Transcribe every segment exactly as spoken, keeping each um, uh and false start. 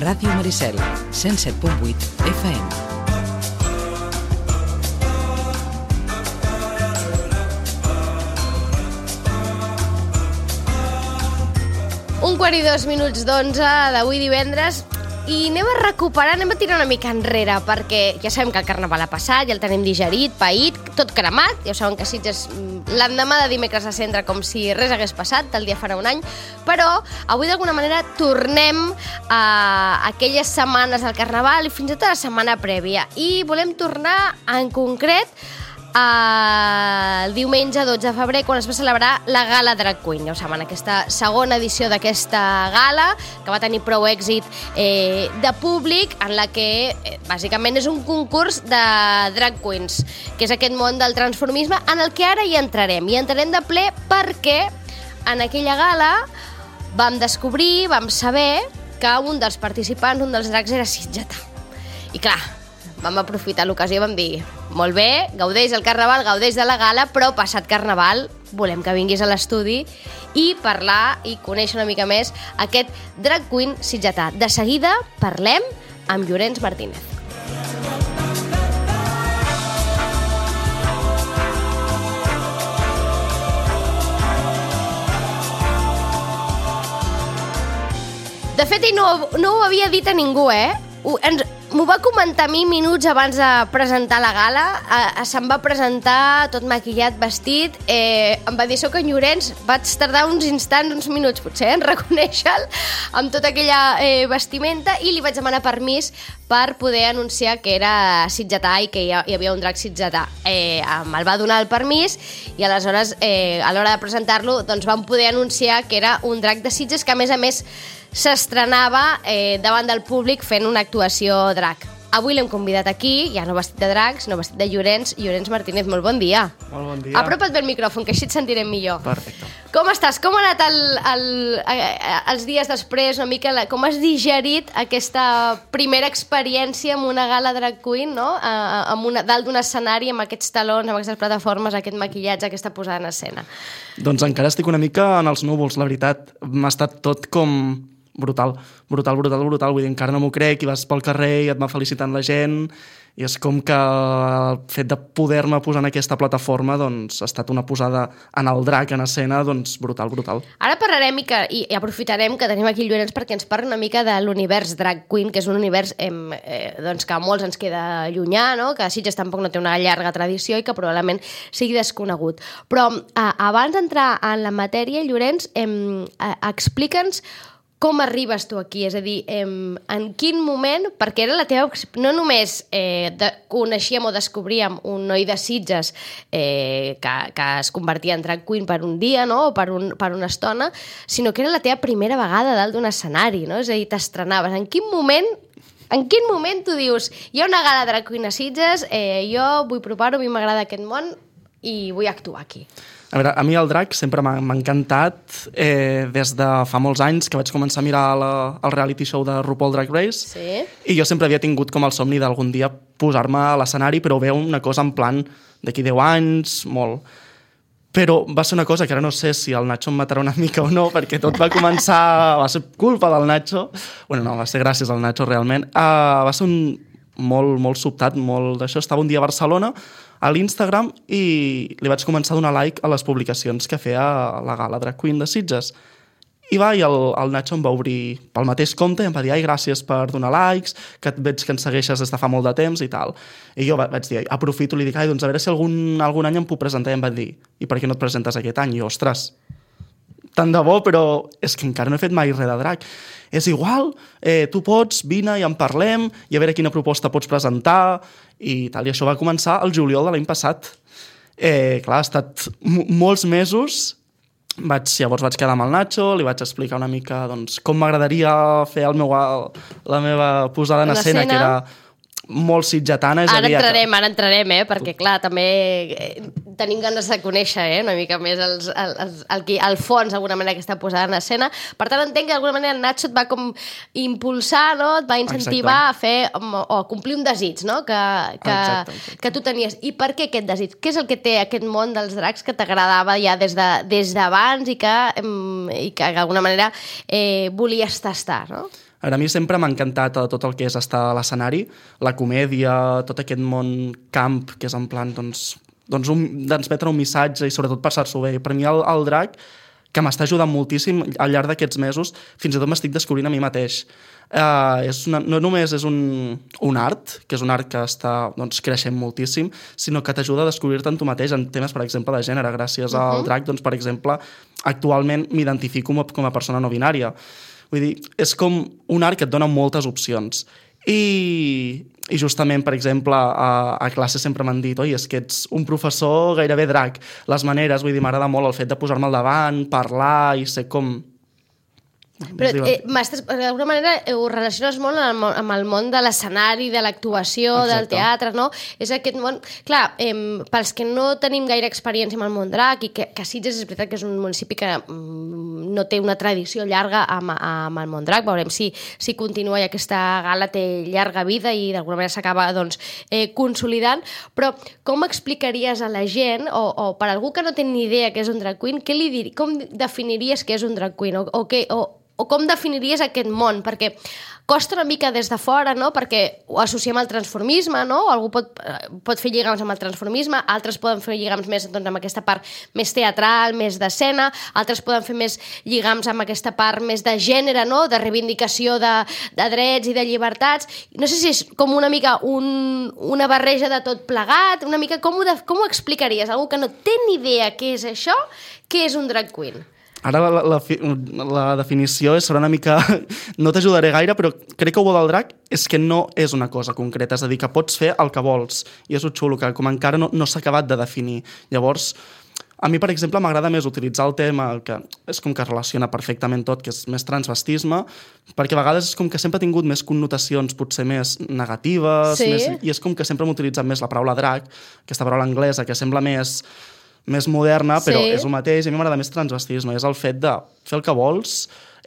Ràdio Maricel, cent set punt vuit F M. Un quart i dos minuts d'onze d'avui divendres i anem a recuperar, anem a tirar una mica enrere perquè ja sabem que el carnaval ha passat, ja el tenim digerit, paït, tot cremat, ja saben que Sitges l'endemà de dimecres a centre com si res hagués passat, tal dia farà un any, però avui d'alguna manera tornem a aquelles setmanes del carnaval i fins i tot a la setmana prèvia i volem tornar en concret el diumenge dotze de febrer quan es va celebrar la Gala Drag Queen. Ja ho saben, aquesta segona edició d'aquesta gala que va tenir prou èxit eh, de públic en la que eh, bàsicament és un concurs de drag queens, que és aquest món del transformisme en el que ara hi entrarem. I entrarem de ple perquè en aquella gala vam descobrir, vam saber que un dels participants, un dels drags era sitgetà. I clar, vam aprofitar l'ocasió i vam dir molt bé, gaudeix el carnaval, gaudeix de la gala, però passat carnaval volem que vinguis a l'estudi i parlar i conèixer una mica més aquest drag queen sitgetà. De seguida parlem amb Llorenç Martínez. De fet, ell no, no ho havia dit a ningú, eh? Ho, ens, m'ho va comentar a mi minuts abans de presentar la gala. Eh, se'm va presentar tot maquillat, vestit. Eh, em va dir, soc en Llorenç. Vaig tardar uns instants, uns minuts potser, en reconèixer-lo amb tota aquella eh, vestimenta i li vaig demanar permís per poder anunciar que era sitgetà i que hi, hi havia un drac sitgetà. Eh, me'l va donar el permís i aleshores, eh, a l'hora de presentar-lo, doncs vam poder anunciar que era un drac de Sitges que, a més a més, s'estrenava eh, davant del públic fent una actuació drag. Avui l'hem convidat aquí, ja no vestit de drag, sinó vestit de Llorenç. Llorenç Martínez, molt bon dia. Molt bon dia. Apropa't bé el micròfon, que així et sentirem millor. Perfecte. Com estàs? Com ha anat el, el, els dies després, una mica, la, com has digerit aquesta primera experiència amb una gala drag queen, no? A, amb una, dalt d'un escenari, amb aquests talons, amb aquestes plataformes, aquest maquillatge, aquesta posada en escena? Doncs encara estic una mica en els núvols, la veritat. M'ha estat tot com brutal, brutal, brutal, brutal. Vull dir, encara no m'ho crec, i vas pel carrer i et va felicitant la gent, i és com que el fet de poder-me posar en aquesta plataforma doncs ha estat una posada en el drac en escena, doncs brutal, brutal. Ara parlarem i, que, i aprofitarem que tenim aquí el Llorenç perquè ens parli una mica de l'univers drag queen, que és un univers eh, eh, doncs que a molts ens queda llunyà, no? Que Sitges tampoc no té una llarga tradició i que probablement sigui desconegut. Però eh, abans d'entrar en la matèria, Llorenç, eh, eh, explica'ns com arribes tu aquí? És a dir, eh, en quin moment, perquè era la teva... No només eh, de, coneixíem o descobríem un noi de Sitges eh, que, que es convertia en drag queen per un dia, no? O per, un, per una estona, sinó que era la teva primera vegada dalt d'un escenari, no? És a dir, t'estrenaves. En quin moment... En quin moment tu dius, hi ha una gala drag queen a Sitges, eh, jo vull provar-ho, a mi m'agrada aquest món i vull actuar aquí? A veure, a mi el drac sempre m'ha encantat eh, des de fa molts anys que vaig començar a mirar la, el reality show de RuPaul Drag Race. Sí. I jo sempre havia tingut com el somni d'algun dia posar-me a l'escenari, però veu una cosa en plan d'aquí deu anys, molt. Però va ser una cosa que ara no sé si el Nacho em matarà una mica o no, perquè tot va començar... va ser culpa del Nacho. Bueno, no, va ser gràcies al Nacho, realment. Uh, va ser un molt, molt sobtat, molt d'això. Estava un dia a Barcelona, a l'Instagram, i li vaig començar a donar like a les publicacions que feia la Gala Drag Queen de Sitges. I va, i el, el Nacho em va obrir pel mateix compte i em va dir, ai, gràcies per donar likes, que et veig que ens segueixes des de fa molt de temps i tal. I jo vaig dir, aprofito, li dic, ai, doncs a veure si algun, algun any em puc presentar. I em va dir, i per què no et presentes aquest any? I jo, ostres, tant de bo, però és que encara no he fet mai res de drac. És igual, eh, tu pots, vine i en parlem, i a veure quina proposta pots presentar, i tal. I això va començar el juliol de l'any passat. Eh, clar, ha estat m- molts mesos. Vaig, llavors vaig quedar amb el Nacho, li vaig explicar una mica doncs, com m'agradaria fer el meu, la meva posada en escena, que era molt sitgetana. És ara entrarem, que... ara entrarem, eh? Perquè clar, també tenim ganes de conèixer eh? una mica més els, els, el, el, el fons, d'alguna manera, que està posada en escena. Per tant, entenc que d'alguna manera el Nacho et va com impulsar, no? Et va incentivar exacte. a fer o a complir un desig, no? Que, que, exacte, exacte. que tu tenies. I per què aquest desig? Què és el que té aquest món dels dracs que t'agradava ja des d'abans de, des i que, i que d'alguna manera eh, volies tastar, no? A mi sempre m'ha encantat tot el que és estar a l'escenari, la comèdia, tot aquest món camp, que és en plan, doncs, doncs un, transmetre un missatge i sobretot passar-s'ho bé. Per mi el, el drac, que m'està ajudant moltíssim al llarg d'aquests mesos, fins i tot m'estic descobrint a mi mateix. Uh, és una, no només és un, un art, que és un art que està doncs, creixent moltíssim, sinó que t'ajuda a descobrir-te en tu mateix en temes, per exemple, de gènere. Gràcies uh-huh. al drac, doncs, per exemple, actualment m'identifico com a, com a persona no binària. Vull dir, és com un art que et dona moltes opcions. I, i justament, per exemple, a, a classe sempre m'han dit oi, és que ets un professor gairebé drac. Les maneres, vull dir, m'agrada molt el fet de posar-me al davant, parlar i ser com... Però eh, d'alguna manera ho relaciones molt amb, amb el món de l'escenari, de l'actuació, del teatre, no? És aquest món... Clar, eh, pels que no tenim gaire experiència amb el món drac i que, que Sitges és veritat que és un municipi que mm, no té una tradició llarga amb, amb el món drac, veurem si, si continua i aquesta gala té llarga vida i d'alguna manera s'acaba doncs, eh, consolidant, però com explicaries a la gent, o, o per algú que no té ni idea què és un drag queen, què li dir, com definiries què és un drag queen? O, o, què, o, o com definiries aquest món? Perquè costa una mica des de fora, no? Perquè ho associem al transformisme, no? Algú pot, pot fer lligams amb el transformisme, altres poden fer lligams més doncs, amb aquesta part més teatral, més d'escena, altres poden fer més lligams amb aquesta part més de gènere, no? De reivindicació de, de drets i de llibertats. No sé si és com una mica un, una barreja de tot plegat, una mica com ho, de, com ho explicaries? Algú que no té ni idea què és això, què és un drag queen? Ara la, la, la definició serà una mica... No t'ajudaré gaire, però crec que el bo del drac és que no és una cosa concreta, és a dir, que pots fer el que vols, i és un xulo, que com encara no, no s'ha acabat de definir. Llavors, a mi, per exemple, m'agrada més utilitzar el tema, que és com que relaciona perfectament tot, que és més transvestisme, perquè a vegades és com que sempre ha tingut més connotacions potser més negatives, sí. més, i és com que sempre hem utilitzat més la paraula drac, aquesta paraula anglesa, que sembla més... més moderna, però sí. és el mateix, i a mi m'agrada més transvestisme, és el fet de fer el que vols,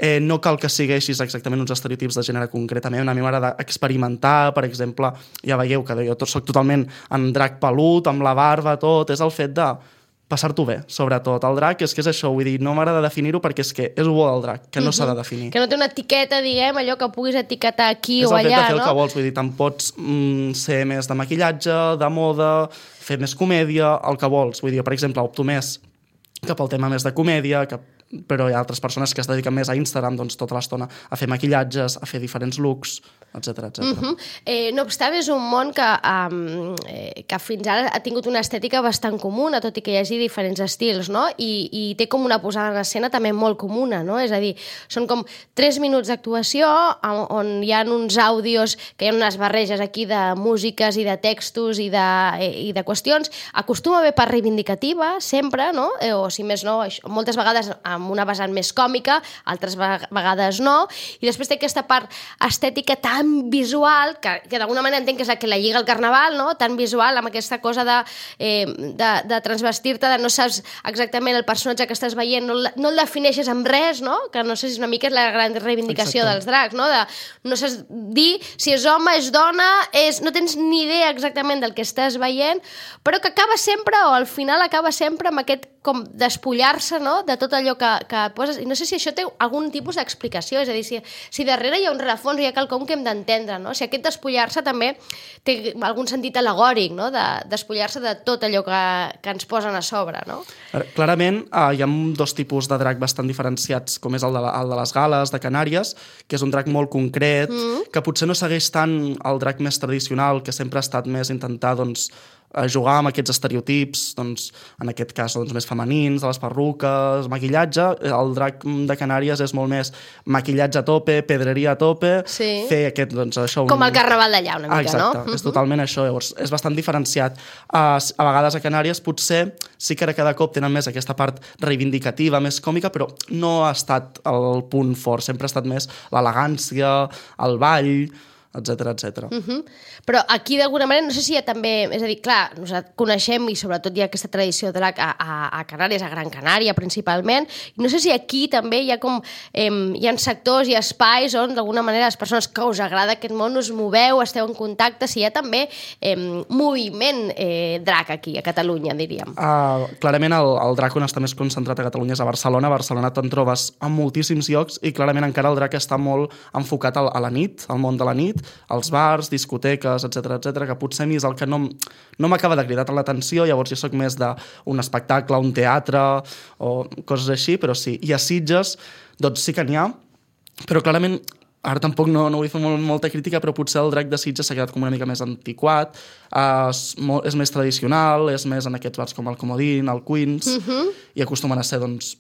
eh, no cal que segueixis exactament uns estereotips de gènere concretament, a mi m'agrada experimentar, per exemple, ja veieu que jo soc totalment en drac pelut, amb la barba, tot, és el fet de passar-t'ho bé, sobretot. El drac és que és això, vull dir, no m'agrada definir-ho perquè és que és el bo del drac, que no uh-huh. s'ha de definir. Que no té una etiqueta, diguem, allò que puguis etiquetar aquí és o allà, no? És el fet de fer el que vols, vull dir, te'n pots mm, ser més de maquillatge, de moda, fer més comèdia, el que vols. Vull dir, per exemple, opto més cap al tema més de comèdia, que... però hi ha altres persones que es dediquen més a Instagram doncs, tota l'estona a fer maquillatges, a fer diferents looks, etcètera etcètera. Uh-huh. Eh, no obstant, és un món que, um, eh, que fins ara ha tingut una estètica bastant comuna, tot i que hi hagi diferents estils, no? I, i té com una posada en escena també molt comuna, no? És a dir, són com tres minuts d'actuació on hi ha uns àudios, que hi ha unes barreges aquí de músiques i de textos i de, i de qüestions. Acostuma a haver part reivindicativa, sempre, no? Eh, o si més no, això, moltes vegades amb una vessant més còmica, altres vegades no, i després té aquesta part estètica tan visual, que, que d'alguna manera entenc que és la que la lliga al carnaval, no? Tan visual, amb aquesta cosa de, eh, de, de transvestir-te, de no saps exactament el personatge que estàs veient, no, no el defineixes amb res, no? Que no sé si una mica és la gran reivindicació Exacte. Dels dracs, no? De, no saps dir si és home, és dona, és, no tens ni idea exactament del que estàs veient, però que acaba sempre, o al final acaba sempre amb aquest com despullar-se, no? De tot allò que, que poses. I no sé si això té algun tipus d'explicació, és a dir, si, si darrere hi ha un rerefons, hi ha quelcom que hem d'entendre, no? Si aquest despullar-se també té algun sentit al·legòric, no? De despullar-se de tot allò que, que ens posen a sobre, no? Clarament, eh, hi ha dos tipus de drac bastant diferenciats, com és el de, la, el de les Gales, de Canàries, que és un drac molt concret, mm. que potser no segueix tant el drac més tradicional, que sempre ha estat més intentar, doncs, a jugar amb aquests estereotips, doncs, en aquest cas doncs, més femenins, de les perruques, maquillatge. El drac de Canàries és molt més maquillatge a tope, pedreria a tope, sí. fer aquest, doncs, això... Com un... el carnaval d'allà, una mica, ah, exacte, no? Exacte, és totalment això, llavors és bastant diferenciat. Uh, a vegades a Canàries potser sí que ara cada cop tenen més aquesta part reivindicativa, més còmica, però no ha estat el punt fort, sempre ha estat més l'elegància, el ball... etcètera, etcètera. Uh -huh. Però aquí, d'alguna manera, no sé si hi ha també... És a dir, clar, nosaltres coneixem i sobretot hi ha aquesta tradició drac a, a, a Canàries, a Gran Canària, principalment, i no sé si aquí també hi ha com... Eh, hi ha sectors i espais on, d'alguna manera, les persones que us agrada aquest món us moveu, esteu en contacte, si hi ha també eh, moviment eh, drac aquí, a Catalunya, diríem. Uh, clarament, el, el drac on està més concentrat a Catalunya és a Barcelona. A Barcelona te'n trobes en moltíssims llocs i clarament encara el drac està molt enfocat a, a la nit, al món de la nit, als bars, discoteques, etcètera, etcètera, que potser a mi és el que no, no m'acaba de cridar tant l'atenció, llavors jo sóc més d'un espectacle, un teatre o coses així, però sí. I a Sitges, doncs sí que n'hi ha, però clarament, ara tampoc no, no vull fer molt, molta crítica, però potser el drac de Sitges s'ha quedat com una mica més antiquat, uh, és, molt, és més tradicional, és més en aquests bars com el Comodín, el Queens, uh-huh. i acostumen a ser, doncs,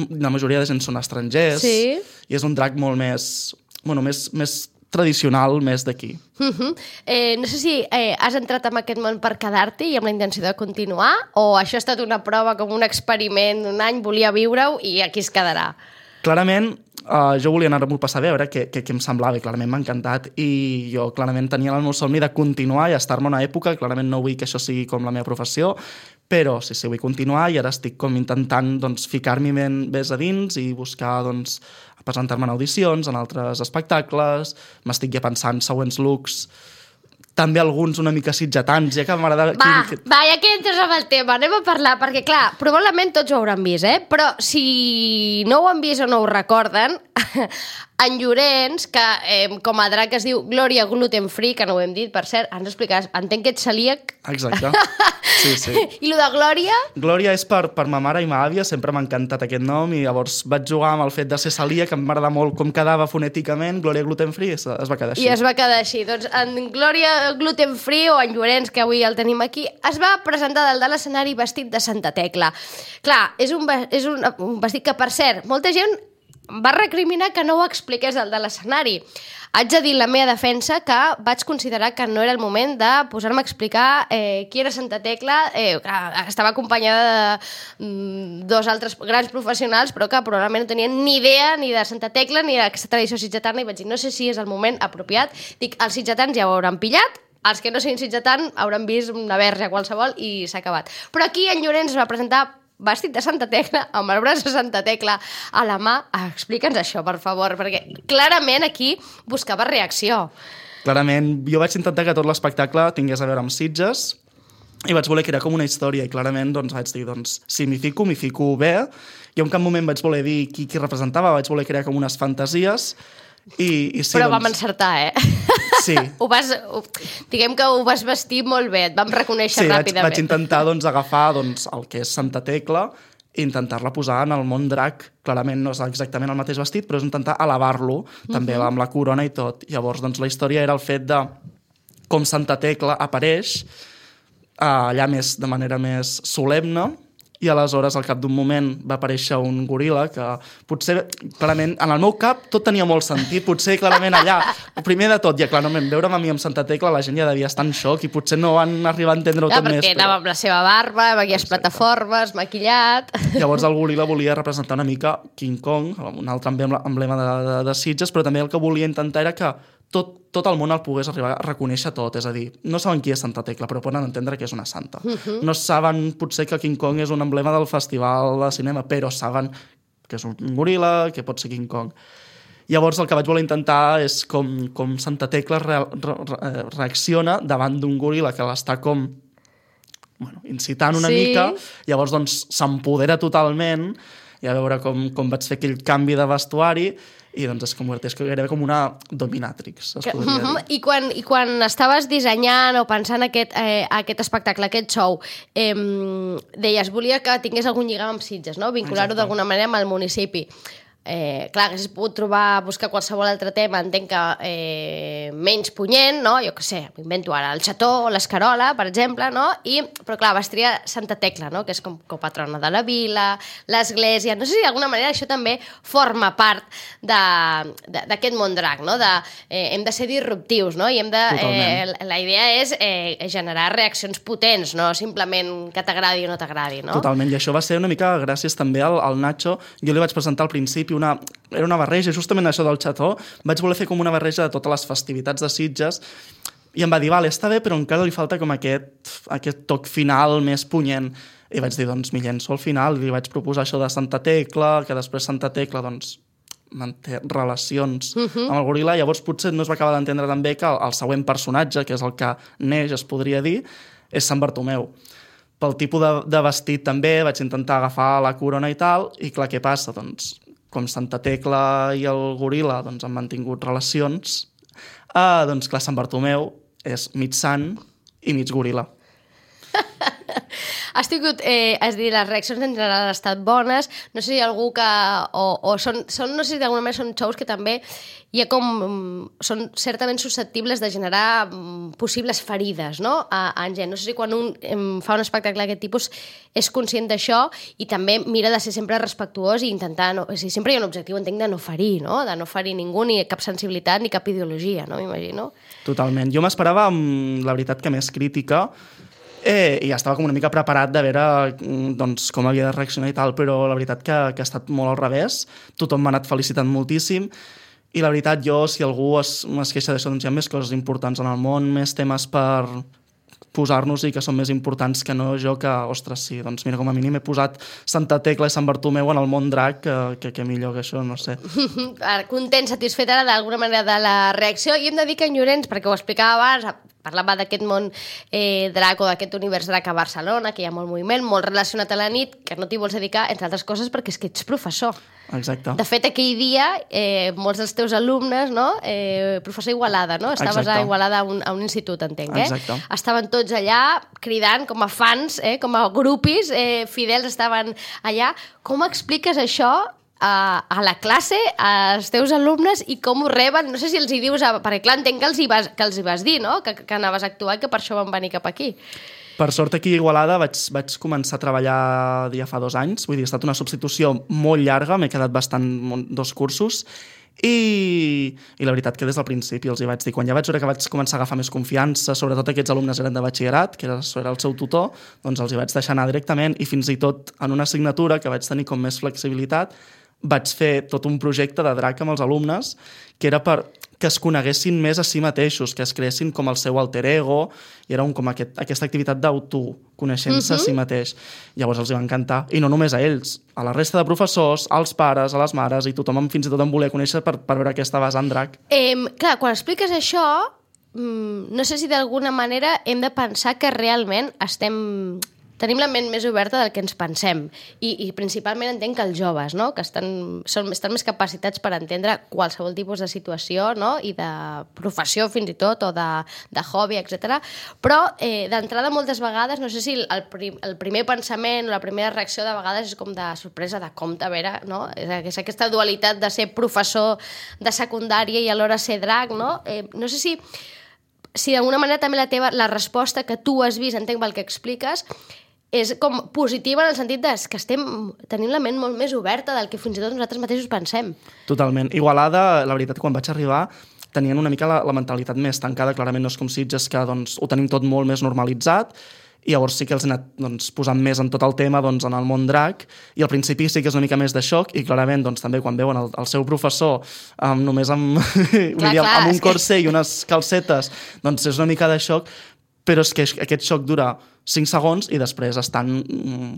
la majoria de gent són estrangers, sí. i és un drac molt més, bueno, més, més tradicional, més d'aquí. Uh-huh. eh, no sé si eh, has entrat en aquest món per quedar-t'hi i amb la intenció de continuar, o això ha estat una prova, com un experiment d'un any, volia viure-ho i aquí es quedarà? Clarament, uh, jo volia anar-m'ho a passar bé, a veure què, què, què em semblava, i clarament m'ha encantat, i jo clarament tenia el meu somni de continuar i estar-me una època, clarament no vull que això sigui com la meva professió, però sí, sí, vull continuar i ara estic com intentant doncs, ficar-m'hi més a dins i buscar doncs, presentar-me en audicions, en altres espectacles, m'estic ja pensant següents looks, també alguns una mica sitgetans, ja que m'agrada... Va, quin... va, ja que entres amb el tema, anem a parlar, perquè clar, probablement tots ho hauran vist, eh? Però si no ho han vist o no ho recorden, en Llorenç, que eh, com a drac es diu Glòria Gluten Free, que no ho hem dit, per cert, ens explicaràs, entenc que ets celíac. Exacte, sí, sí. I lo de Glòria? Glòria és per, per ma mare i ma àvia, sempre m'ha encantat aquest nom, i llavors vaig jugar amb el fet de ser celíac, que m'agrada molt com quedava fonèticament, Glòria Gluten Free, es, es va quedar així. I es va quedar així. Doncs en Glòria Gluten Free, o en Llorenç, que avui el tenim aquí, es va presentar dalt de l'escenari vestit de Santa Tecla. Clar, és un, és un, un vestit que, per cert, molta gent va recriminar que no ho expliqués dalt de l'escenari. Haig de dir la meva defensa que vaig considerar que no era el moment de posar-me a explicar eh, qui era Santa Tecla, eh, que estava acompanyada de mm, dos altres grans professionals, però que probablement no tenien ni idea ni de Santa Tecla ni d'aquesta tradició sitgetana, i vaig dir, no sé si és el moment apropiat. Dic, els sitgetans ja ho hauran pillat, els que no siguin sitgetant hauran vist una verge qualsevol i s'ha acabat. Però aquí en Llorenç es va presentar vestit de Santa Tecla, amb el braç de Santa Tecla a la mà. Explica'ns això, per favor, perquè clarament aquí buscava reacció. Clarament, jo vaig intentar que tot l'espectacle tingués a veure amb Sitges i vaig voler crear com una història, i clarament doncs, vaig dir, doncs, si m'hi fico, m'hi fico bé. I en cap moment vaig voler dir qui, qui representava, vaig voler crear com unes fantasies. I, i sí, Però doncs... vam encertar, eh? Sí. Ho vas, ho, diguem que ho vas vestir molt bé, et vam reconèixer sí, ràpidament. Sí, vaig, vaig intentar doncs, agafar doncs, el que és Santa Tecla i intentar-la posar en el món drac. Clarament no és exactament el mateix vestit, però és intentar elevar-lo, també uh-huh. amb la corona i tot. Llavors, doncs, la història era el fet de com Santa Tecla apareix uh, allà més de manera més solemne, i aleshores, al cap d'un moment, va aparèixer un goril·la que potser, clarament, en el meu cap tot tenia molt sentit, potser clarament allà, primer de tot, ja clarament, veure'm a mi amb Santa Tecla, la gent ja devia estar en xoc i potser no van arribar a entendre-ho ja, tot més. Perquè anava amb la seva barba, amb aquelles plataformes, maquillat... Llavors el goril·la volia representar una mica King Kong, un altre emblema de, de, de Sitges, però també el que volia intentar era que tot, tot el món el pogués arribar a reconèixer tot, és a dir, no saben qui és Santa Tecla, però poden entendre que és una santa. Uh-huh. No saben potser que King Kong és un emblema del festival de cinema, però saben que és un goril·la, que pot ser King Kong. Llavors el que vaig voler intentar és com, com Santa Tecla re, re, re, reacciona davant d'un goril·la que l'està com bueno, incitant una sí. mica, llavors doncs s'empodera totalment, i a veure com, com vaig fer aquell canvi de vestuari, i doncs es converteix gairebé com una dominatrix, es podria dir. I quan, i quan estaves dissenyant o pensant aquest, eh, aquest espectacle, aquest show, eh, deies, volia que tingués algun lligam amb Sitges, no? Vincular-ho d'alguna manera amb el municipi. Eh, clar, haguessis pogut trobar, buscar qualsevol altre tema, entenc que eh, menys punyent, no? Jo què sé, m'invento ara el xató o l'escarola, per exemple, no? I, però clar, vas triar Santa Tecla, no? Que és com copatrona de la vila, l'església... No sé si d'alguna manera això també forma part d'aquest món drac, no? De, eh, hem de ser disruptius, no? I hem de... Eh, la idea és eh, generar reaccions potents, no simplement que t'agradi o no t'agradi, no? Totalment, i això va ser una mica gràcies també al, al Nacho. Jo li vaig presentar al principi principi una, era una barreja, justament això del xató, vaig voler fer com una barreja de totes les festivitats de Sitges, i em va dir, vale, està bé, però encara li falta com aquest, aquest toc final més punyent. I vaig dir, doncs, m'hi llenço al final, i li vaig proposar això de Santa Tecla, que després Santa Tecla, doncs, manté relacions uh-huh. amb el goril·la, llavors potser no es va acabar d'entendre tan bé que el, el següent personatge, que és el que neix, es podria dir, és Sant Bartomeu. Pel tipus de, de vestit també vaig intentar agafar la corona i tal, i clar, què passa? Doncs, com Santa Tecla i el goril·la doncs, han mantingut relacions, eh, doncs clar, Sant Bartomeu és mig sant i mig goril·la. Has tingut, eh, és dir, les reaccions en general han estat bones, no sé si hi ha algú que, o, o són, són, no sé si d'alguna manera són shows que també hi ha com, són certament susceptibles de generar um, possibles ferides, no?, a, a en gent. No sé si quan un em, fa un espectacle d'aquest tipus és conscient d'això i també mira de ser sempre respectuós i intentar, no, o sigui, sempre hi ha un objectiu, entenc, de no ferir, no?, de no ferir ningú, ni cap sensibilitat, ni cap ideologia, no?, m'imagino. Totalment. Jo m'esperava, la veritat, que més crítica, Eh, i ja estava com una mica preparat de veure doncs, com havia de reaccionar i tal, però la veritat que, que ha estat molt al revés. Tothom m'ha anat felicitant moltíssim i la veritat jo, si algú es, es queixa d'això, doncs hi ha més coses importants en el món, més temes per posar-nos i que són més importants que no jo que, ostres, sí, doncs mira, com a mínim he posat Santa Tecla i Sant Bartomeu en el món drac, que, que, que millor que això, no sé. Content, satisfet ara d'alguna manera de la reacció, i hem de dir que en Llorenç, perquè ho explicava abans, parlava d'aquest món eh, drac o d'aquest univers drac a Barcelona, que hi ha molt moviment, molt relacionat a la nit, que no t'hi vols dedicar, entre altres coses, perquè és que ets professor. Exacte. De fet, aquell dia, eh, molts dels teus alumnes, no? eh, professor Igualada, no? Estaves Exacte. a Igualada a un, a un institut, entenc, eh? Exacte. Estaven tots allà cridant com a fans, eh? com a grupis eh, fidels estaven allà. Com expliques això a, a la classe, als teus alumnes, i com ho reben? No sé si els hi dius, a, perquè clar, entenc que els hi vas, que els hi vas dir, no?, que, que anaves a actuar i que per això van venir cap aquí. Per sort, aquí a Igualada vaig, vaig començar a treballar ja fa dos anys, vull dir, ha estat una substitució molt llarga, m'he quedat bastant dos cursos, i, i la veritat que des del principi els hi vaig dir, quan ja vaig veure que vaig començar a agafar més confiança, sobretot aquests alumnes eren de batxillerat, que era, era el seu tutor, doncs els hi vaig deixar anar directament, i fins i tot en una assignatura que vaig tenir com més flexibilitat, vaig fer tot un projecte de drac amb els alumnes, que era per que es coneguessin més a si mateixos, que es creessin com el seu alter ego, i era un, com aquest, aquesta activitat d'autoconeixença uh-huh. a si mateix. Llavors els hi va encantar, i no només a ells, a la resta de professors, als pares, a les mares, i tothom fins i tot em volia conèixer per, per veure aquesta vessant drac. Eh, clar, quan expliques això, mmm, no sé si d'alguna manera hem de pensar que realment estem... tenim la ment més oberta del que ens pensem, i, i principalment entenc que els joves, no?, que estan, són, estan més capacitats per entendre qualsevol tipus de situació, no?, i de professió fins i tot, o de, de hobby, etcètera. Però eh, d'entrada moltes vegades, no sé si el, prim, el primer pensament o la primera reacció de vegades és com de sorpresa, de compte, a veure, no?, és aquesta dualitat de ser professor de secundària i alhora ser drac, no? Eh, no sé si, si d'alguna manera també la teva, la resposta que tu has vist, entenc pel que expliques, és com positiva en el sentit de que estem tenint la ment molt més oberta del que fins i tot nosaltres mateixos pensem. Totalment. Igualada, la veritat, quan vaig arribar, tenien una mica la, la mentalitat més tancada, clarament no és com Sitges, que doncs, ho tenim tot molt més normalitzat, i llavors sí que els he anat doncs, posant més en tot el tema doncs, en el món drac, i al principi sí que és una mica més de xoc, i clarament doncs, també quan veuen el, el seu professor um, només amb, clar, dir, amb un corset i unes calcetes, doncs és una mica de xoc, però és que aquest xoc dura cinc segons i després estan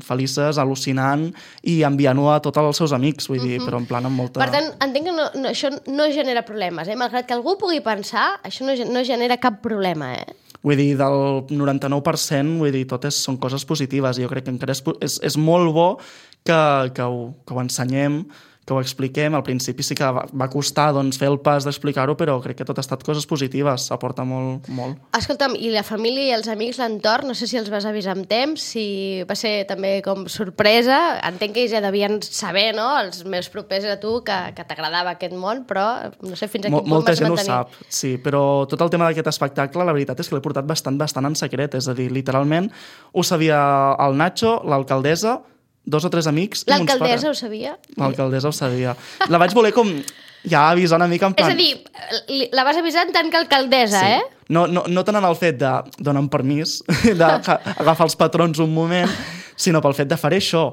felices, al·lucinant i enviant-ho a tots els seus amics, vull dir, uh-huh. però en plan amb molta... Per tant, entenc que no, no, això no genera problemes, eh? Malgrat que algú pugui pensar, això no, no genera cap problema, eh? Vull dir, del noranta-nou per cent, vull dir, totes són coses positives, i jo crec que encara és, és, és molt bo que, que, ho, que ho ensenyem, que ho expliquem. Al principi sí que va, va costar doncs, fer el pas d'explicar-ho, però crec que tot ha estat coses positives, aporta molt, molt. Escolta'm, i la família i els amics, l'entorn, no sé si els vas avisar amb temps, si va ser també com sorpresa, entenc que ja devien saber, no?, els més propers a tu, que, que t'agradava aquest món, però no sé fins a quin punt Molta vas gent mantenir. ho sap, sí, però tot el tema d'aquest espectacle, la veritat és que l'he portat bastant, bastant en secret, és a dir, literalment ho sabia el Nacho, l'alcaldessa, dos o tres amics i mons pares. L'alcaldessa ho sabia? L'alcaldessa ho sabia. La vaig voler com ja avisar una mica en plan... És a dir, la vas avisar en tant que alcaldessa, sí. eh? No, no, no tant en el fet de donar permís, d'agafar els patrons un moment, sinó pel fet de faré això.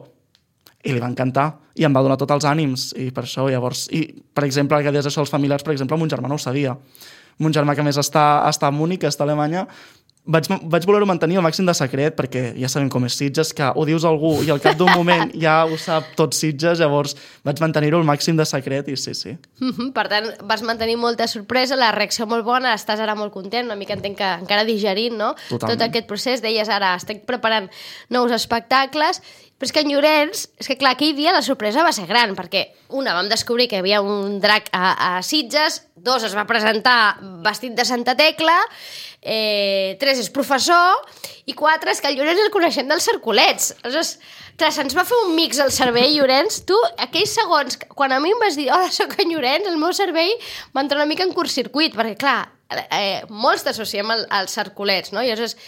i li va encantar, i em va donar tots els ànims, i per això, llavors... I, per exemple, que deies això als familiars, per exemple, mon germà no ho sabia. Mon germà, que a més està, està a Múnich, està a Alemanya, vaig, vaig voler-ho mantenir al màxim de secret, perquè ja sabem com és Sitges, que ho dius a algú i al cap d'un moment ja ho sap tot Sitges, llavors vaig mantenir-ho al màxim de secret, i sí, sí. Mm-hmm. Per tant, vas mantenir molta sorpresa, la reacció molt bona, estàs ara molt content, una mica entenc que encara digerint, no? Totalment. Tot aquest procés, deies ara, estic preparant nous espectacles, però és que en Llorenç, és que clar, aquell dia la sorpresa va ser gran, perquè una, vam descobrir que hi havia un drac a, a Sitges, dos, es va presentar vestit de Santa Tecla, eh, tres, és professor, i quatre, és que el Llorenç el coneixem dels cercolets. Aleshores, clar, se'ns va fer un mix al cervell, Llorenç. Tu, aquells segons, quan a mi em vas dir, hola, soc en Llorenç, el meu cervell va entrar una mica en curtcircuit, perquè clar, eh, molts t'associem al, als cercolets, no? I aleshores,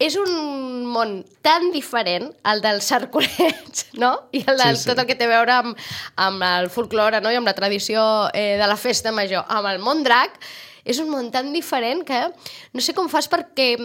és un món tan diferent, el dels cercolets, no? I el de sí, sí. tot el que té a veure amb, amb el folklore, no? I amb la tradició eh, de la festa major. Amb el món drac, és un món tan diferent que no sé com fas perquè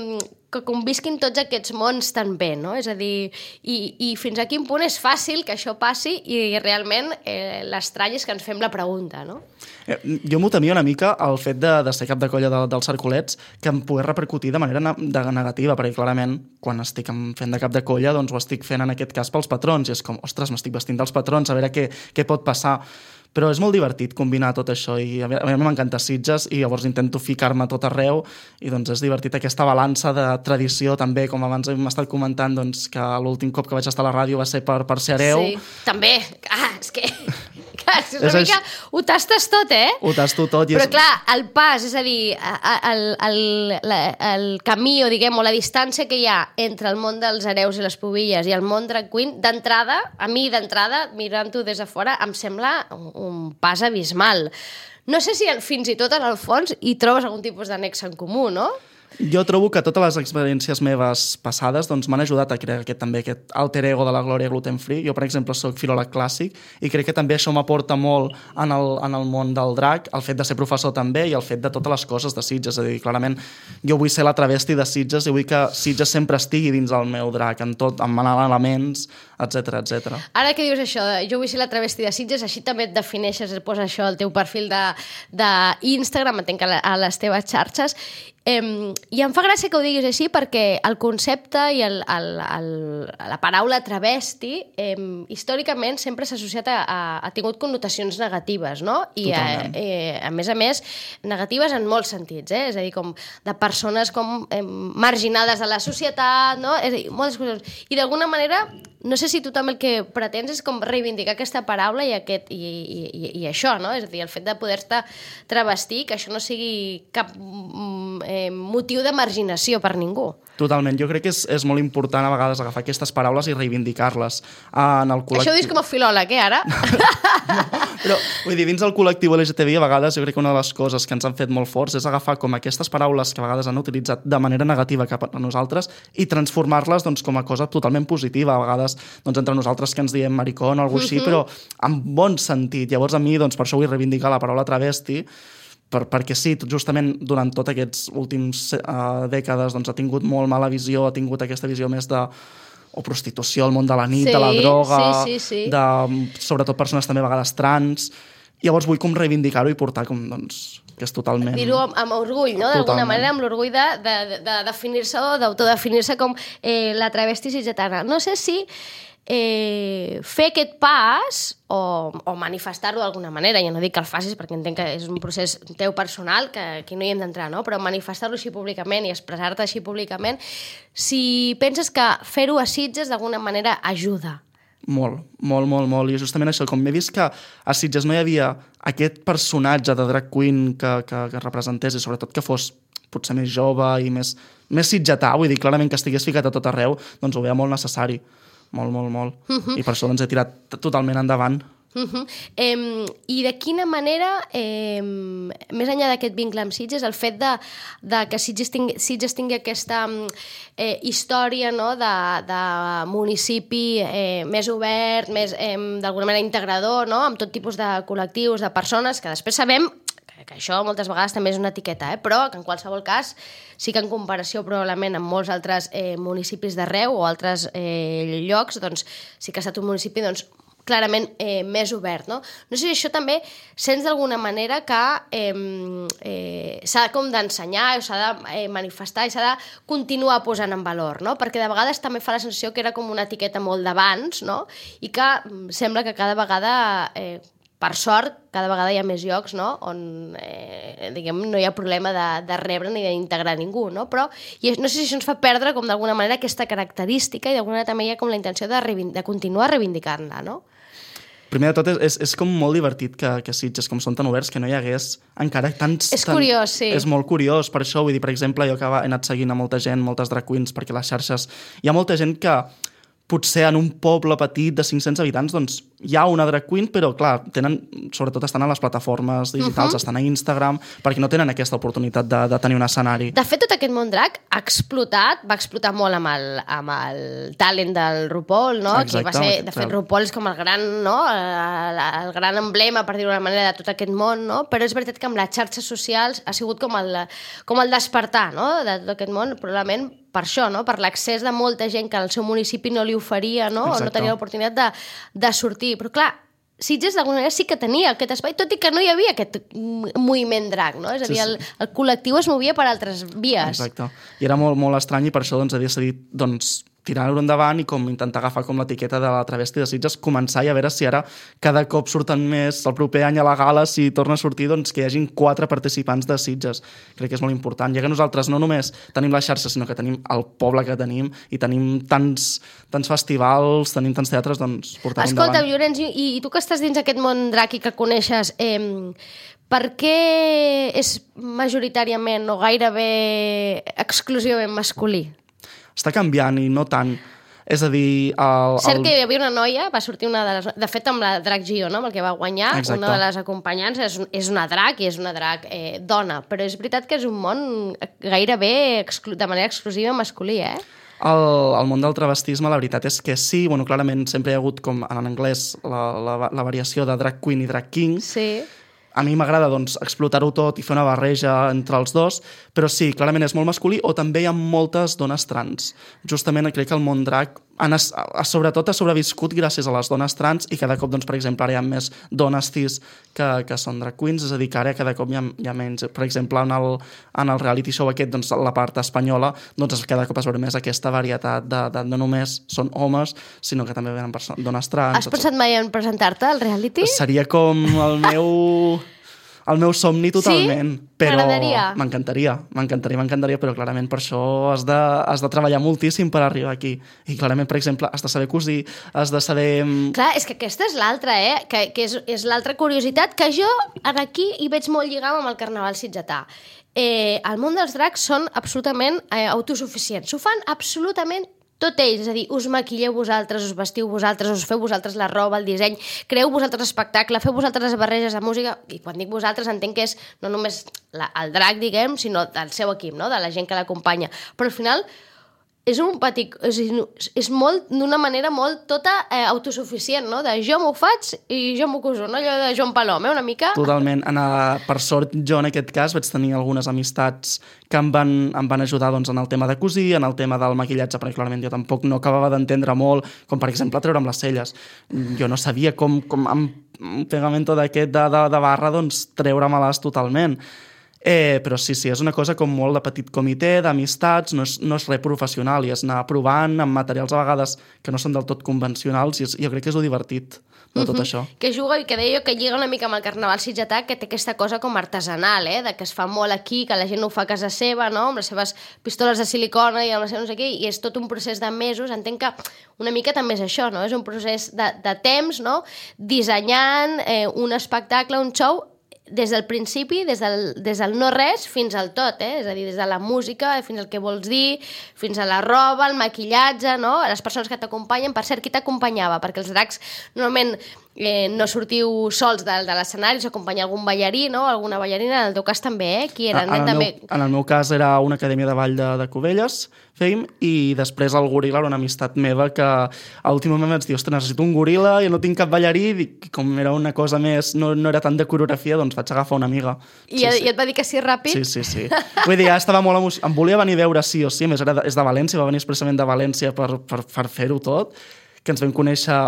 que convisquin tots aquests mons tan bé, no? És a dir, i, i fins a quin punt és fàcil que això passi i realment eh, l'estrany és que ens fem la pregunta, no? Eh, jo m'ho temia una mica el fet de, de ser cap de colla de, dels cercolets que em pogués repercutir de manera ne de negativa, perquè clarament quan estic fent de cap de colla doncs ho estic fent en aquest cas pels patrons i és com, ostres, m'estic vestint dels patrons, a veure què, què pot passar. Però és molt divertit combinar tot això i a mi m'encanta Sitges i llavors intento ficar-me tot arreu i doncs és divertit aquesta balança de tradició també, com abans hem estat comentant doncs, que l'últim cop que vaig estar a la ràdio va ser per, per ser hereu. Sí, també. Ah, és que... Clar, és una és mica... Això. Ho tastes tot, eh? Ho tasto tot. I Però és... clar, el pas, és a dir, el, el, el, el camí o, diguem, o la distància que hi ha entre el món dels hereus i les pubilles i el món drag queen, d'entrada, a mi d'entrada, mirant-ho des de fora, em sembla un, un pas abismal. No sé si fins i tot en el fons hi trobes algun tipus d'annex en comú, no? Jo trobo que totes les experiències meves passades doncs, m'han ajudat a crear aquest, també aquest alter ego de la Glòria Gluten Free. Jo, per exemple, soc filòleg clàssic i crec que també això m'aporta molt en el, en el món del drac, el fet de ser professor també i el fet de totes les coses de Sitges. És a dir, clarament, jo vull ser la travesti de Sitges i vull que Sitges sempre estigui dins del meu drac, en tot, en elements, etcètera, etcètera. Ara que dius això, jo vull ser la travesti de Sitges, així també et defineixes, et poses això al teu perfil d'Instagram, entenc que a les teves xarxes, Eh, i em fa gràcia que ho diguis així perquè el concepte i el, el, el, la paraula travesti eh, històricament sempre s'ha associat a, a, ha tingut connotacions negatives, no? I a, eh, a més a més negatives en molts sentits, eh? És a dir, com de persones com eh, marginades de la societat, no? És a dir, moltes coses. I d'alguna manera, no sé si tu també el que pretens és com reivindicar aquesta paraula i, aquest, i, i, i, i això, no? És a dir, el fet de poder-te travestir, que això no sigui cap eh, motiu de marginació per ningú. Totalment. Jo crec que és, és molt important a vegades agafar aquestes paraules i reivindicar-les en el col·lectiu. Això ho dius com a filòleg, eh, ara? No, però, vull dir, dins del col·lectiu L G T B I, a vegades jo crec que una de les coses que ens han fet molt forts és agafar com aquestes paraules que a vegades han utilitzat de manera negativa cap a nosaltres i transformar-les doncs, com a cosa totalment positiva. A vegades doncs, entre nosaltres que ens diem maricón o alguna cosa així, uh-huh. però en bon sentit. Llavors a mi, doncs, per això vull reivindicar la paraula travesti, per, perquè sí, justament durant tots aquests últims uh, dècades doncs, ha tingut molt mala visió, ha tingut aquesta visió més de o prostitució, el món de la nit, sí, de la droga, sí, sí, sí. de sobretot persones també a vegades trans. Llavors vull com reivindicar-ho i portar com, doncs, que és totalment... Dir-ho amb, amb orgull, no? D'alguna manera, amb l'orgull de, de, de, de definir-se o d'autodefinir-se com eh, la travesti sitgetana. No sé si eh, fer aquest pas o, o manifestar-ho d'alguna manera, jo no dic que el facis perquè entenc que és un procés teu personal que aquí no hi hem d'entrar, no? Però manifestar-ho així públicament i expressar-te així públicament, si penses que fer-ho a Sitges d'alguna manera ajuda. Molt, molt, molt, molt. I justament això, com m'he vist que a Sitges no hi havia aquest personatge de drag queen que, que, que representés i sobretot que fos potser més jove i més, més sitgetà, vull dir, clarament que estigués ficat a tot arreu, doncs ho veia molt necessari. Molt, molt, molt. Uh-huh. I per això doncs, he tirat totalment endavant. Uh-huh. eh, I de quina manera, eh, més enllà d'aquest vincle amb Sitges, el fet de, de que Sitges tingui, Sitges tingui aquesta eh, història, no? de, de municipi eh, més obert, més, eh, d'alguna manera integrador, no? Amb tot tipus de col·lectius, de persones, que després sabem que això moltes vegades també és una etiqueta, eh? Però que en qualsevol cas sí que en comparació probablement amb molts altres eh, municipis d'arreu o altres eh, llocs, doncs sí que ha estat un municipi doncs, clarament eh, més obert, no? No sé si això també sents d'alguna manera que eh, eh, s'ha com d'ensenyar o s'ha de eh, manifestar i s'ha de continuar posant en valor, no? Perquè de vegades també fa la sensació que era com una etiqueta molt d'abans, no? I que sembla que cada vegada, eh, per sort, cada vegada hi ha més llocs, no? On eh, diguem, no hi ha problema de, de rebre ni d'integrar ningú, no? Però i no sé si això ens fa perdre com d'alguna manera aquesta característica i d'alguna manera també hi ha com la intenció de, de continuar reivindicant-la, no? Primer de tot, és, és com molt divertit que, que Sitges, com són tan oberts, que no hi hagués encara tants... És curiós, sí. És molt curiós, per això, vull dir, per exemple, jo que he anat seguint a molta gent, moltes drag queens, perquè les xarxes... Hi ha molta gent que potser en un poble petit de cinc-cents habitants, doncs hi ha una drag queen, però clar, tenen, sobretot estan a les plataformes digitals, uh-huh. estan a Instagram, perquè no tenen aquesta oportunitat de, de tenir un escenari. De fet, tot aquest món drag ha explotat, va explotar molt amb el, amb el talent del RuPaul, no? Exacte, que va ser, de fet, RuPaul és com el gran, no? el, el gran emblema, per dir-ho d'una manera, de tot aquest món, no? Però és veritat que amb les xarxes socials ha sigut com el, com el despertar, no? De tot aquest món, probablement per això, no? Per l'accés de molta gent que al seu municipi no li oferia, no? O no tenia l'oportunitat de, de sortir. Però clar, Sitges d'alguna manera sí que tenia aquest espai, tot i que no hi havia aquest moviment drag, no? És a dir, el, el col·lectiu es movia per altres vies. Exacte. I era molt, molt estrany i per això doncs, he decidit doncs, tirar-ho endavant i com intentar agafar com l'etiqueta de la travesti de Sitges, començar i a veure si ara cada cop surten més, el proper any a la gala, si torna a sortir, doncs que hi hagin quatre participants de Sitges. Crec que és molt important. Ja que nosaltres no només tenim la xarxa, sinó que tenim el poble que tenim i tenim tants, tants festivals, tenim tants teatres, doncs portar-ho endavant. Escolta, Llorenç, i, i tu que estàs dins aquest món drag i que coneixes, eh, per què és majoritàriament o gairebé exclusivament masculí? Està canviant i no tant. És a dir... El, Cert el... que hi havia una noia, va sortir una de les... De fet, amb la Drag Gio, no? Amb el que va guanyar, Exacte. Una de les acompanyants és, és una drag i és una drag eh, dona. Però és veritat que és un món gairebé exclu... de manera exclusiva masculí, eh? El, el món del travestisme, la veritat és que sí, bueno, clarament sempre hi ha hagut, com en anglès, la, la, la variació de drag queen i drag king. Sí. A mi m'agrada doncs, explotar-ho tot i fer una barreja entre els dos, però sí, clarament és molt masculí, o també hi ha moltes dones trans. Justament crec que el món drag han, sobretot ha sobreviscut gràcies a les dones trans i cada cop, doncs, per exemple, ara hi ha més dones cis que, que són drag queens, és a dir, que ara cada cop hi ha, hi ha menys. Per exemple, en el, en el reality show aquest, doncs, la part espanyola, doncs cada cop es veu més aquesta varietat de, de no només són homes, sinó que també venen dones trans. Has pensat mai en presentar-te al reality? Seria com el meu... el meu somni totalment, sí? però M'agradaria. m'encantaria, m'encantaria, m'encantaria, però clarament per això has de, has de treballar moltíssim per arribar aquí. I clarament, per exemple, has de saber cosir, has de saber... Clar, és que aquesta és l'altra, eh? Que, que és, és l'altra curiositat, que jo aquí hi veig molt lligam amb el carnaval sitgetà. Eh, el món dels drags són absolutament eh, autosuficients. Ho fan absolutament tot ells, és a dir, us maquilleu vosaltres, us vestiu vosaltres, us feu vosaltres la roba, el disseny, creeu vosaltres l'espectacle, feu vosaltres les barreges de música, i quan dic vosaltres entenc que és no només la, el drac, diguem, sinó del seu equip, no? De la gent que l'acompanya. Però al final és un petit... És, és molt, d'una manera molt tota eh, autosuficient, no? De jo m'ho faig i jo m'ho coso, no? Allò de Joan Palom, eh? Una mica... Totalment. En, per sort, jo en aquest cas vaig tenir algunes amistats que em van, em van ajudar doncs, en el tema de cosir, en el tema del maquillatge, perquè clarament jo tampoc no acabava d'entendre molt, com per exemple treure'm les celles. Jo no sabia com, com amb un pegamento d'aquest de, de, de barra, doncs treure-me-les totalment. Eh, però sí, sí, és una cosa com molt de petit comitè, d'amistats, no és, no és res professional, i és anar provant amb materials a vegades que no són del tot convencionals, i és, jo crec que és lo divertit de tot uh-huh. això. Que juga, i que deia jo, que lliga una mica amb el carnaval sitgetà, que té aquesta cosa com artesanal, eh? De que es fa molt aquí, que la gent ho fa a casa seva, no? Amb les seves pistoles de silicona i amb les seves no sé què, i és tot un procés de mesos. Entenc que una mica també és això, no? És un procés de, de temps, no? Dissenyant eh, un espectacle, un show, des del principi, des del, des del no res fins al tot, eh? És a dir, des de la música fins al que vols dir, fins a la roba, el maquillatge, no? Les persones que t'acompanyen. Per cert, qui t'acompanyava? Perquè els dracs normalment eh, no sortiu sols de, de l'escenari, s'acompanya algun ballarí, no? Alguna ballarina, en el teu cas també, eh? Qui eren? En, en, el també... meu, en el meu cas era una acadèmia de ball de, de Cubelles, fèiem, i després el goril·la era una amistat meva que a l'últim moment vaig dir, ostres, necessito un goril·la, jo no tinc cap ballarí, i com era una cosa més, no, no era tant de coreografia, doncs vaig agafar una amiga. I, sí, sí. sí. I et va dir que sí ràpid? Sí, sí, sí. Vull dir, ja estava molt emocionat. Em volia venir a veure sí o sí, a més era de, és de València, va venir expressament de València per, per, per fer-ho tot, que ens vam conèixer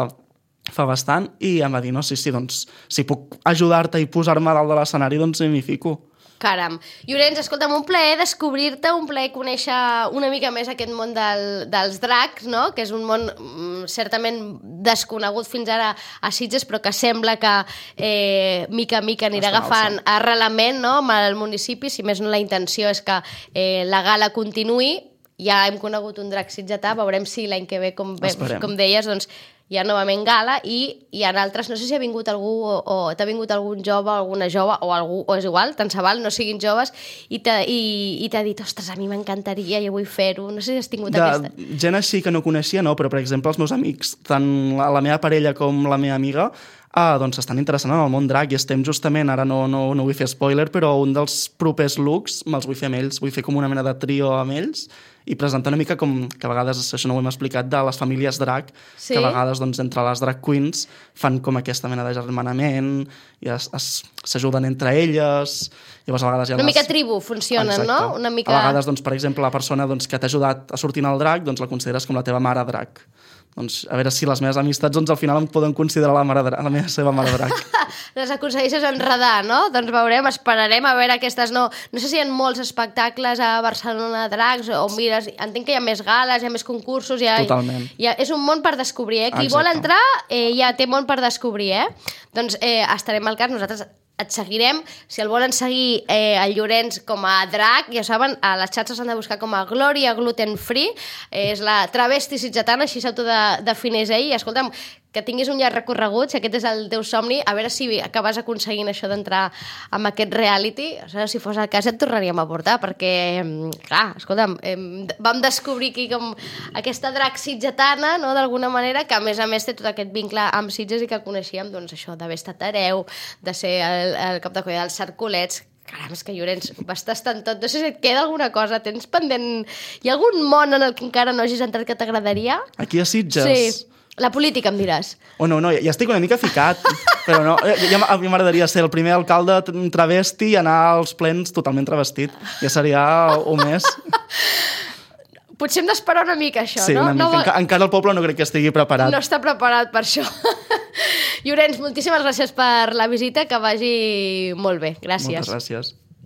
fa bastant, i em va dir, no, sí, sí, doncs, si puc ajudar-te i posar-me a dalt de l'escenari, doncs m'hi fico. Caram. Llorenç, escolta'm, un plaer descobrir-te, un plaer conèixer una mica més aquest món del, dels dracs, no? Que és un món mm, certament desconegut fins ara a Sitges, però que sembla que eh, mica a mica anirà agafant arrelament, no?, amb el municipi. Si més no, la intenció és que eh, la gala continuï. Ja hem conegut un drac sitgetà, veurem si l'any que ve, com, ve, com deies, doncs hi ha novament gala, i hi ha altres, no sé si ha vingut algú o, o t'ha vingut algun jove, alguna jove, o algú, o és igual, tant se val, no siguin joves, i t'ha i, i t'ha dit, ostres, a mi m'encantaria, jo vull fer-ho, no sé si has tingut de, aquesta... Gent així que no coneixia, no, però per exemple els meus amics, tant la, la meva parella com la meva amiga, ah, doncs estan interessant en el món drac, i estem justament, ara no, no, no vull fer spoiler, però un dels propers looks me'ls vull fer amb ells, vull fer com una mena de trio amb ells, i presentar una mica com, que a vegades, això no ho hem explicat, de les famílies drac, sí? Que a vegades doncs, entre les drag queens fan com aquesta mena de germanament i s'ajuden entre elles. Llavors, a vegades hi ha una les... mica tribu funcionen, exacte, no? Una mica... A vegades, doncs, per exemple, la persona doncs, que t'ha ajudat a sortir al drac, doncs la consideres com la teva mare drac. Doncs a veure si les meves amistats doncs, al final em poden considerar la, mare drac, la meva seva mare drac. Les aconsegueixes enredar, no? Doncs veurem, esperarem a veure aquestes... No, no sé si hi ha molts espectacles a Barcelona de dracs, o mires, entenc que hi ha més gales, hi ha més concursos... Hi ha, totalment. Hi ha, és un món per descobrir, eh? Qui exacte. vol entrar eh, ja té món per descobrir, eh? Doncs eh, estarem al cas, nosaltres et seguirem. Si el volen seguir eh, el Llorenç com a drac, ja saben, a les xarxes s'han de buscar com a Glòria Gluten Free, eh, és la travesti sitgetana, així s'autodefineix ell, i escolta'm, que tinguis un llarg recorregut, si aquest és el teu somni, a veure si acabes aconseguint això d'entrar amb aquest reality, o sigui, si fos el cas et tornaríem a portar, perquè, clar, escolta'm, eh, vam descobrir aquí com aquesta drac sitgetana, no?, d'alguna manera, que a més a més té tot aquest vincle amb Sitges i que coneixíem, doncs això, d'haver estat hereu, de ser el, el cap de colla dels Cercolets. Caram, és que Llorenç, vas tastant tot. No sé si et queda alguna cosa, tens pendent... Hi ha algun món en el que encara no hagis entrat que t'agradaria? Aquí a Sitges? Sí. La política, em diràs. Oh, no, no, ja estic una mica ficat, però no, ja, a mi m'agradaria ser el primer alcalde travesti i anar als plens totalment travestit. Ja seria o més. Potser hem d'esperar una mica, això, sí, no? Sí, una mica. No... Enca encara el poble no crec que estigui preparat. No està preparat per això. Llorenç, moltíssimes gràcies per la visita, que vagi molt bé. Gràcies. Moltes gràcies.